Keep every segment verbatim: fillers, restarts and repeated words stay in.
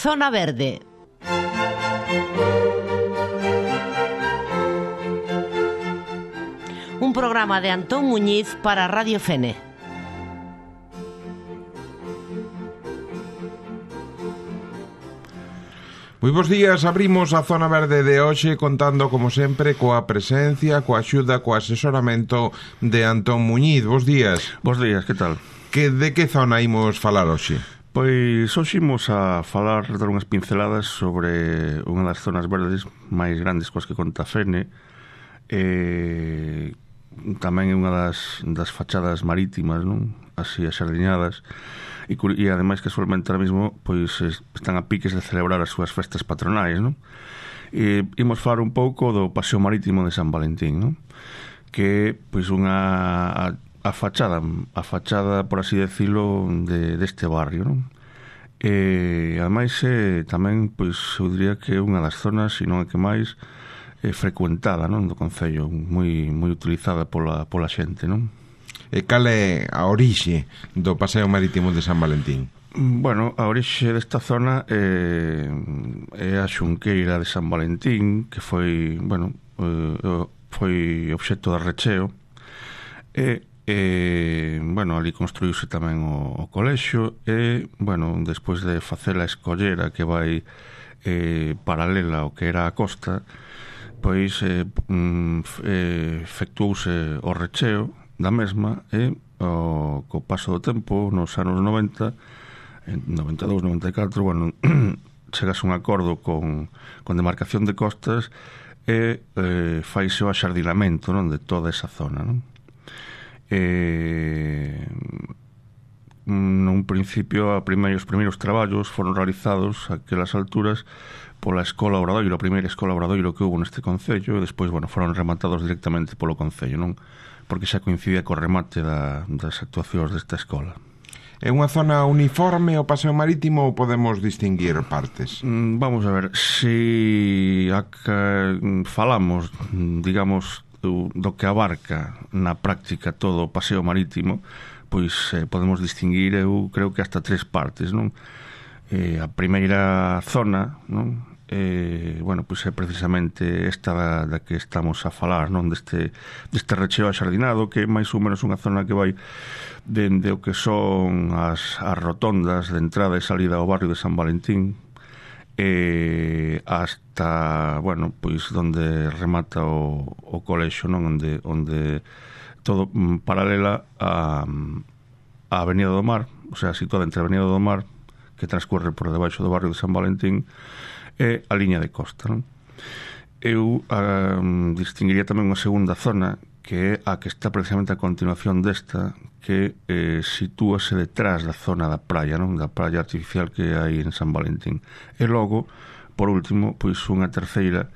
Zona Verde. Un programa de Antón Muñiz para Radio Fene. Moi bons días, abrimos a Zona Verde de hoxe contando, como sempre, coa presencia, coa axuda, coa asesoramento de Antón Muñiz. Bos días. Bos días, que tal? Que, de que zona imos falar hoxe? Pois hoxe imos a falar, dar unhas pinceladas sobre unha das zonas verdes máis grandes coas que conta Fene. Eh, tamén é unha das, das fachadas marítimas, non? Así axardiñadas. E, e ademais que casualmente ahora mesmo pois están a piques de celebrar as súas festas patronais, non? E imos falar un pouco do Paseo Marítimo de San Valentín, non? Que pois unha a, a fachada, a fachada por así decirlo de deste barrio, non? E ademais é tamén pois eu diría que é unha das zonas, se non é que máis é frecuentada, non, do concello, moi moi utilizada pola pola xente, non? E cal é a orixe do Paseo Marítimo de San Valentín? Bueno, a orixe desta zona é, é a xunqueira de San Valentín, que foi, bueno, foi obxecto de recheo. E, e bueno, ali construíuse tamén o, o colexio e, bueno, despois de facer a escollera que vai eh, paralela ao que era a costa, pois eh, eh, efectuouse o recheo da mesma e o, co paso do tempo nos anos noventa, en noventa e dous, noventa e catro, bueno, chegase un acordo con, con demarcación de costas e eh, faise o axardinamento, non, de toda esa zona, non? E nun principio a primeiro, os primeiros traballos foron realizados a aquelas alturas pola Escola Obradoiro, a primeira Escola Obradoiro que houve neste concello, e despois, bueno, foron rematados directamente polo concello, non? Porque xa coincide co remate da, das actuacións desta escola. É unha zona uniforme o Paseo Marítimo ou podemos distinguir partes? Mm, vamos a ver, se a que falamos, digamos, do, do que abarca na práctica todo o Paseo Marítimo, pois eh, podemos distinguir, eu creo que hasta tres partes, non? Eh, a primeira zona, non? Eh, bueno, pois é precisamente esta da, da que estamos a falar, non? Deste, deste recheo axardinado, que é máis ou menos unha zona que vai dende o que son as, as rotondas de entrada e salida ao barrio de San Valentín eh, hasta, bueno, pois donde remata o, o colexio, non? Onde, onde todo mm, paralela a, a Avenida do Mar, o sea, situada entre a Avenida do Mar, que transcorre por debaixo do barrio de San Valentín, e a liña de costa, non? Eu um, distinguiría tamén unha segunda zona, que é a que está precisamente a continuación desta, que eh, sitúase detrás da zona da praia, non? Da praia artificial que hai en San Valentín. E logo, por último, pois unha terceira,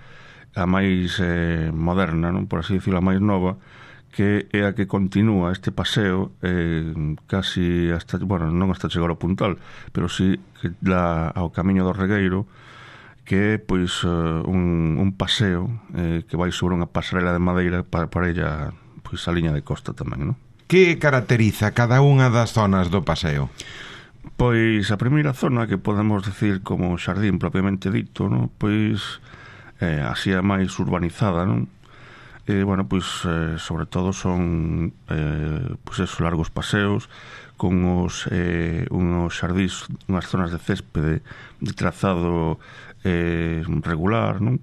a máis eh, moderna, non? Por así decirlo, a máis nova, que é a que continúa este paseo eh, casi hasta, bueno, non hasta chegar ao Puntal, pero sí que dá ao Camiño do Regueiro, que é pois un, un paseo eh, que vai sobre unha pasarela de madeira para, para ella pois a liña de costa tamén, non? Que caracteriza cada unha das zonas do paseo? Pois a primeira zona, que podemos decir como xardín propiamente dito, non? Pois eh, así a máis urbanizada, non? E, bueno, pois eh, sobre todo son eh, pois esos largos paseos con os, eh, unos xardís, unhas zonas de céspede de trazado eh, regular, non?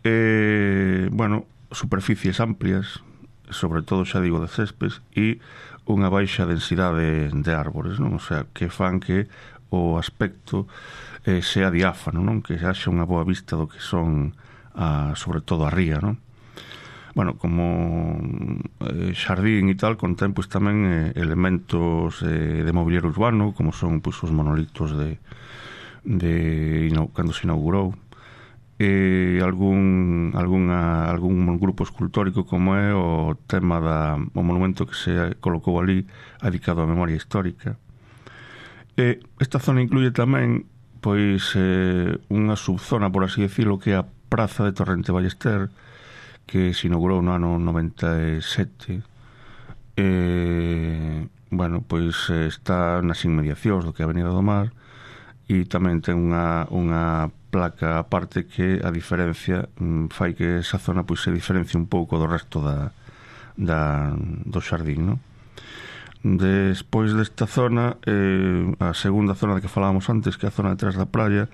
E, bueno, superficies amplias, sobre todo, xa digo, de céspedes, e unha baixa densidade de árbores, non? O sea, que fan que o aspecto eh, sea diáfano, non? Que haxa unha boa vista do que son, a, sobre todo, a ría, non? Bueno, como eh, xardín e tal, contén pois tamén eh, elementos eh, de mobiliario urbano, como son pois os monolitos de, de ino, cando se inaugurou, e algún algunha, algún grupo escultórico como é o tema da o monumento que se colocou ali dedicado á memoria histórica. E esta zona incluye tamén pois eh, unha subzona, por así decirlo, que é a Praza de Torrente Ballester, que se inaugurou no ano noventa e sete. E, bueno, pois está nas inmediacións do que é a Avenida do Mar, e tamén ten unha, unha placa aparte que a diferencia mm, fai que esa zona pois se diferencie un pouco do resto da, da, do xardín, non? Despois desta zona, eh, a segunda zona de que falábamos antes, que é a zona detrás da praia,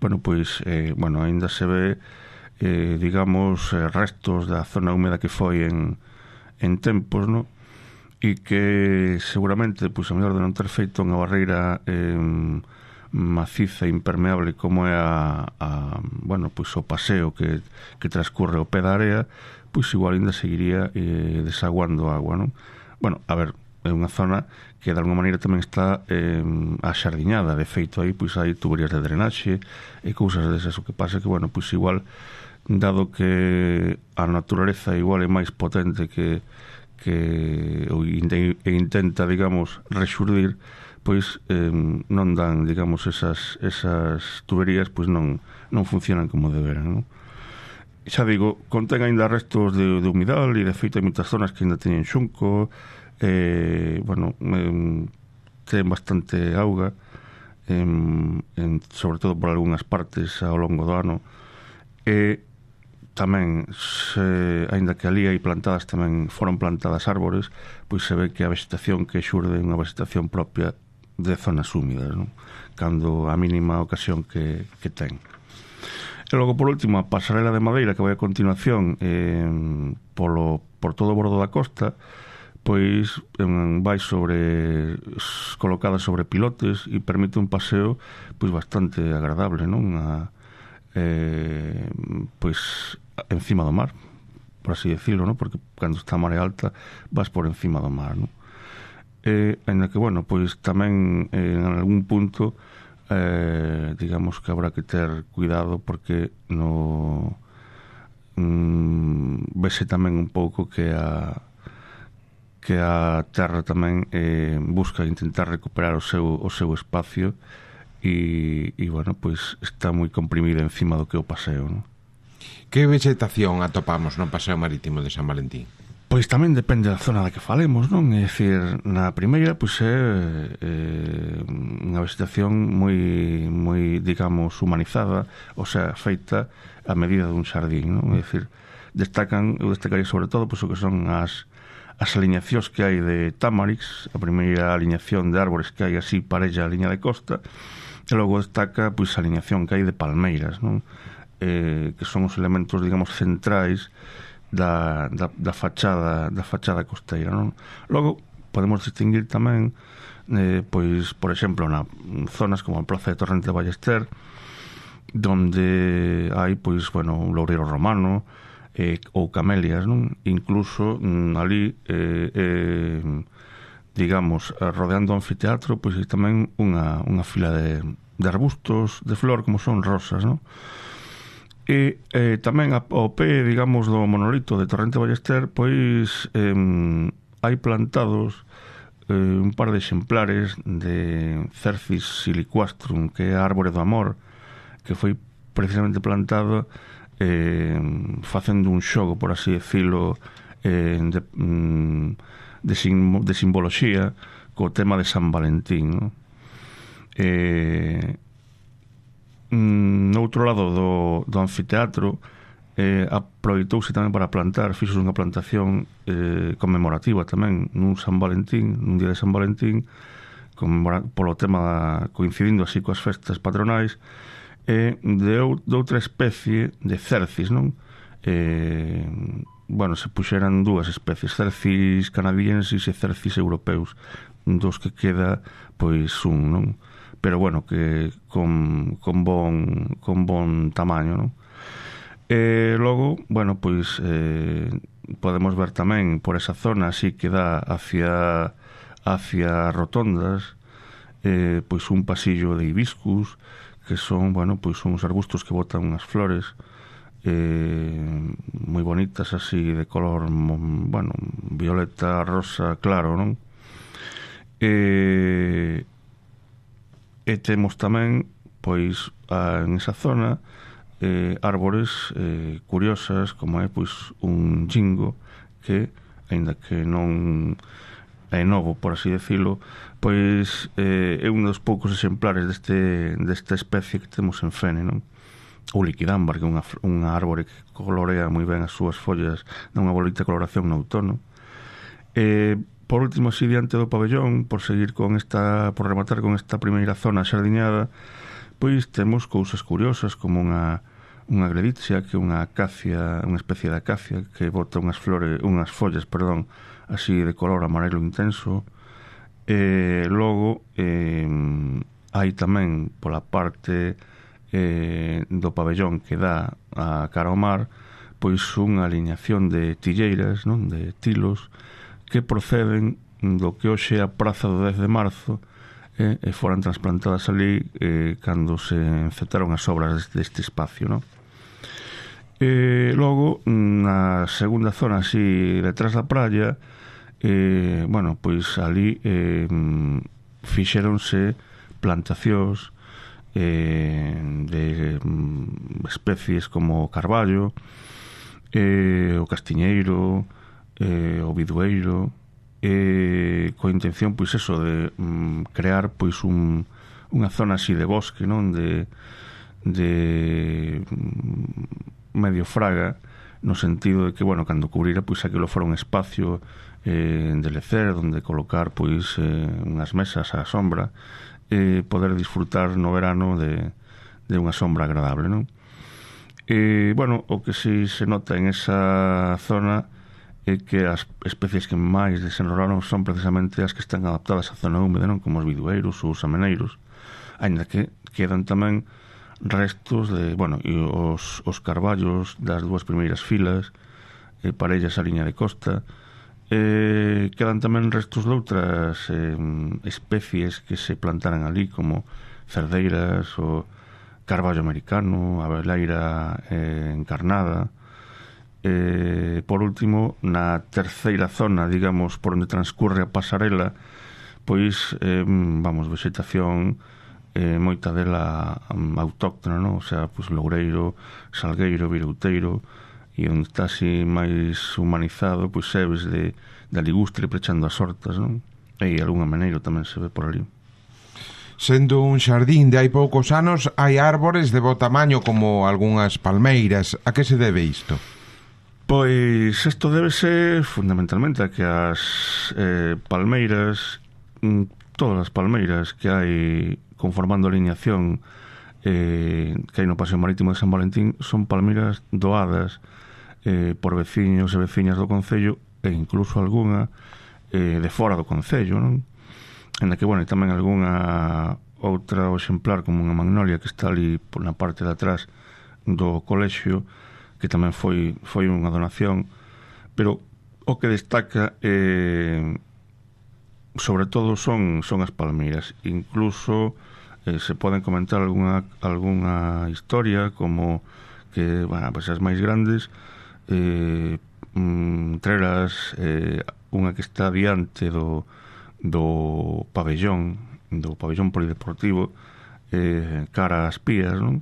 bueno, pois, eh, bueno, ainda se ve, eh, digamos, eh, restos da zona húmeda que foi en, en tempos, no? E que seguramente, pois, a mellor de non ter feito unha barreira eh, maciza e impermeable como é a, a, bueno, pois, o paseo que, que transcurre o pé da area, pois igual ainda seguiría eh, desaguando agua, non? Bueno, a ver, é unha zona que de alguma maneira tamén está eh, axardiñada, de feito aí pois hai tuberías de drenaxe e cousas desas, o que pasa que, bueno, pois igual dado que a naturaleza igual é máis potente que que ou intenta, digamos, rexurdir, pois eh, non dan, digamos, esas, esas tuberías pois non, non funcionan como deberan, non? Xa digo, contén ainda restos de, de humidal e de feito hai moitas zonas que ainda teñen xunco. Eh, bueno, eh, ten bastante auga, eh, en, sobre todo por algunhas partes ao longo do ano, e tamén se, aínda que ali hai plantadas, tamén foron plantadas árbores, pois se ve que a vegetación que xurde é unha vegetación propia de zonas húmidas, non? Cando a mínima ocasión que, que ten. E logo, por último, a pasarela de madeira que vai a continuación eh, polo, por todo o bordo da costa, pois vai sobre colocada sobre pilotes e permite un paseo pois bastante agradable, non? A, eh, pois encima do mar, por así decirlo, non? Porque cando está a marea alta vas por encima do mar, non? E, ainda que, bueno, pois tamén eh, en algún punto eh, digamos que habrá que ter cuidado porque no mm, vese tamén un pouco que a que a terra tamén eh, busca intentar recuperar o seu, o seu espacio e, e, bueno, pois está moi comprimida encima do que o paseo, non? Que vegetación atopamos no paseo marítimo de San Valentín? Pois tamén depende da zona da que falemos, non? É dicir, na primeira, pois é eh, unha vegetación moi, moi, digamos, humanizada, ou sea, feita a medida dun xardín, non? É dicir, destacan, eu destacaría sobre todo, pois o que son as as aliñacións que hai de Tamarix, a primeira aliñación de árbores que hai así parella a liña de costa, e logo destaca pois a aliñación que hai de palmeiras, non? Eh, que son os elementos, digamos, centrais da, da, da fachada da fachada costeira, non? Logo podemos distinguir tamén eh, pois, por exemplo, na zonas como a Praza de Torrente de Ballester, donde hai pois, bueno, un loureiro romano, Eh, ou camelias, non? Incluso mm, ali eh, eh, digamos, rodeando o anfiteatro pois hai tamén unha, unha fila de, de arbustos de flor como son rosas, non? E eh, tamén ao pé, digamos, do monolito de Torrente Ballester pois eh, hai plantados eh, un par de exemplares de Cercis siliquastrum, que é a árbore do amor, que foi precisamente plantado Eh, facendo un xogo, por así decirlo, eh, de, de, sim, de simboloxía co tema de San Valentín, no? Eh, no outro lado do, do anfiteatro eh, aproveitouse tamén para plantar, fixos unha plantación eh, conmemorativa tamén nun San Valentín, nun día de San Valentín, polo tema coincidindo así coas festas patronais, e de, de outra especie de cercis, non? Eh, bueno, se puxeran dúas especies, cercis canadienses e cercis europeus, dos que queda pois un, non? Pero bueno, que con, con bon con bon tamaño, non? E logo, bueno, pois eh, podemos ver tamén por esa zona así que dá hacia hacia rotondas, eh, pois un pasillo de hibiscus, que son, bueno, pois son uns arbustos que botan unhas flores eh, moi bonitas así de color, bueno, violeta, rosa, claro, non? E, e temos tamén pois a, en esa zona eh, árbores eh, curiosas como é pois un jingo que, aínda que non é novo, por así decirlo, pois eh, é un dos poucos exemplares deste, desta especie que temos en Fene, non? O liquidámbar, que é unha, unha árbore que colorea moi ben as súas follas nunha bonita coloración no outono. Eh, por último, así diante do pabellón, por seguir con esta, por rematar con esta primeira zona xardiñada, pois temos cousas curiosas como unha unha greditsia, que é unha acacia, unha especie de acacia que bota unhas flores, unhas follas, perdón, así de color amarelo intenso. E logo eh, hai tamén pola parte eh, do pabellón que dá a cara ao mar, pois unha aliñación de tilleiras, non, de tilos que proceden do que hoxe é a Praza do dez de marzo, eh, e foran transplantadas ali eh, cando se encetaron as obras deste espacio, non? E logo, na segunda zona así detrás da praia, eh, bueno, pois ali eh, fixéronse plantacións eh, de mm, especies como o carballo, eh, o castiñeiro, eh, o bidueiro, eh, coa intención, pois eso, de mm, crear pois un, unha zona así de bosque, non? De, de mm, medio fraga, no sentido de que, bueno, cando cubrira, pois aquilo fora un espacio eh, de lecer, onde colocar, pois, eh, unhas mesas á sombra, e poder disfrutar no verano de, de unha sombra agradable, non? E, bueno, o que si se nota en esa zona é que as especies que máis desenrolaron son precisamente as que están adaptadas á zona húmeda, non? Como os bidueiros ou os ameneiros, aínda que quedan tamén restos de, bueno, e os, os carballos das dúas primeiras filas, eh, parellas a liña de costa. Eh, quedan tamén restos de outras eh, especies que se plantaran ali, como cerdeiras, o carballo americano, a veleira eh, encarnada. Eh, por último, na terceira zona, digamos, por onde transcurre a pasarela, pois, eh, vamos, vegetación eh, moita dela um, autóctona, non? O sea, pois loureiro, salgueiro, virouteiro, e onde está así máis humanizado, pois sebes de, de ligustre prechando as hortas, non? E algún ameneiro tamén se ve por ali. Sendo un xardín de hai poucos anos, hai árbores de bo tamaño como algunhas palmeiras. A que se debe isto? Pois isto debe ser fundamentalmente a que as eh, palmeiras, todas as palmeiras que hai conformando a alineación eh, que hai no Paseo Marítimo de San Valentín son palmeiras doadas eh, por veciños e veciñas do concello, e incluso algunha eh, de fora do concello, non? En la que, bueno, e tamén algunha outra exemplar como unha magnolia que está ali por na parte de atrás do colexio, que tamén foi foi unha donación, pero o que destaca eh, sobre todo son son as palmeiras. Incluso eh, se poden comentar algunha algunha historia como que, bueno, pues as máis grandes, eh, entre elas eh, unha que está diante do do pabellón do pabellón polideportivo, eh, cara ás pías, non?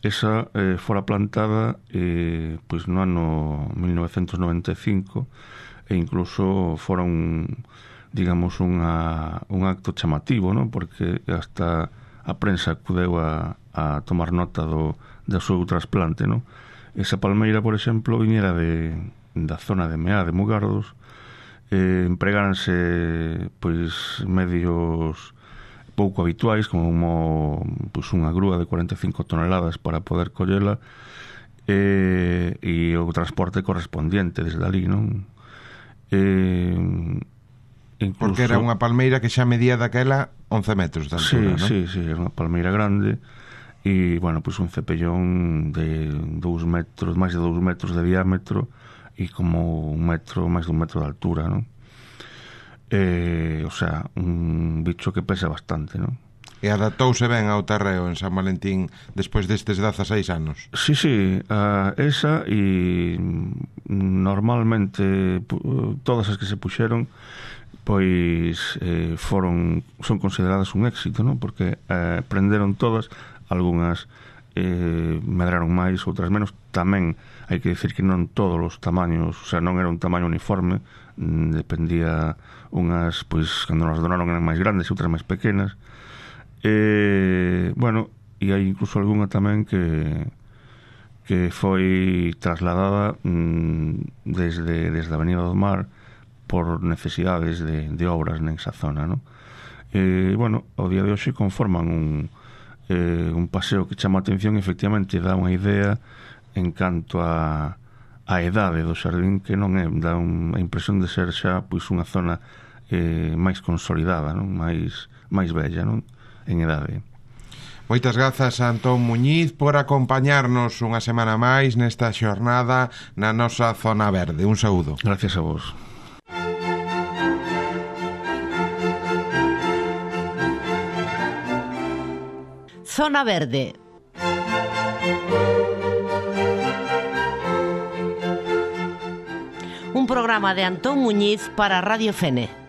Esa eh, fora plantada eh, pois no ano mil novecentos noventa e cinco, e incluso fora un, digamos, unha, un acto chamativo, non? Porque hasta a prensa acudeu a, a tomar nota do, do seu trasplante, non? Esa palmeira, por exemplo, viñera de, da zona de Meá, de Mugardos. Eh, empregáranse pois medios pouco habituais, como pois unha grúa de cuarenta e cinco toneladas para poder collela, eh, e o transporte correspondiente desde ali, non? Eh, incluso, porque era unha palmeira que xa medía daquela once metros de altura, sí, non? Sí, sí, era unha palmeira grande, e, bueno, pois un cepellón de dous metros, máis de dous metros de diámetro, e como un metro, máis dun metro de altura, non? Eh, o sea, un bicho que pesa bastante, non? E adaptouse ben ao terreo en San Valentín despois destes dezaseis anos. Sí, sí, uh, esa e normalmente todas as que se puxeron pois eh, foron son consideradas un éxito, non? Porque eh, prenderon todas, algunhas eh, medraron máis, outras menos. Tamén hai que dicir que non todos os tamaños, o sea, non era un tamaño uniforme, mm, dependía unhas, pois, cando nos donaron eran máis grandes e outras máis pequenas. Eh, bueno, e hai incluso algunha tamén que que foi trasladada mm, desde, desde a Avenida do Mar por necesidades de, de obras nesa zona, non? Eh, bueno, ao día de hoxe conforman un, eh, un paseo que chama a atención, efectivamente dá unha idea en canto a, a edade do xardín, que non é, dá un, a impresión de ser xa pois unha zona eh, máis consolidada, non? máis, máis bella, non? En edade. Moitas grazas a Antón Muñiz por acompañarnos unha semana máis nesta xornada na nosa Zona Verde. Un saúdo. Gracias a vos. Zona Verde. Un programa de Antón Muñiz para Radio Fene.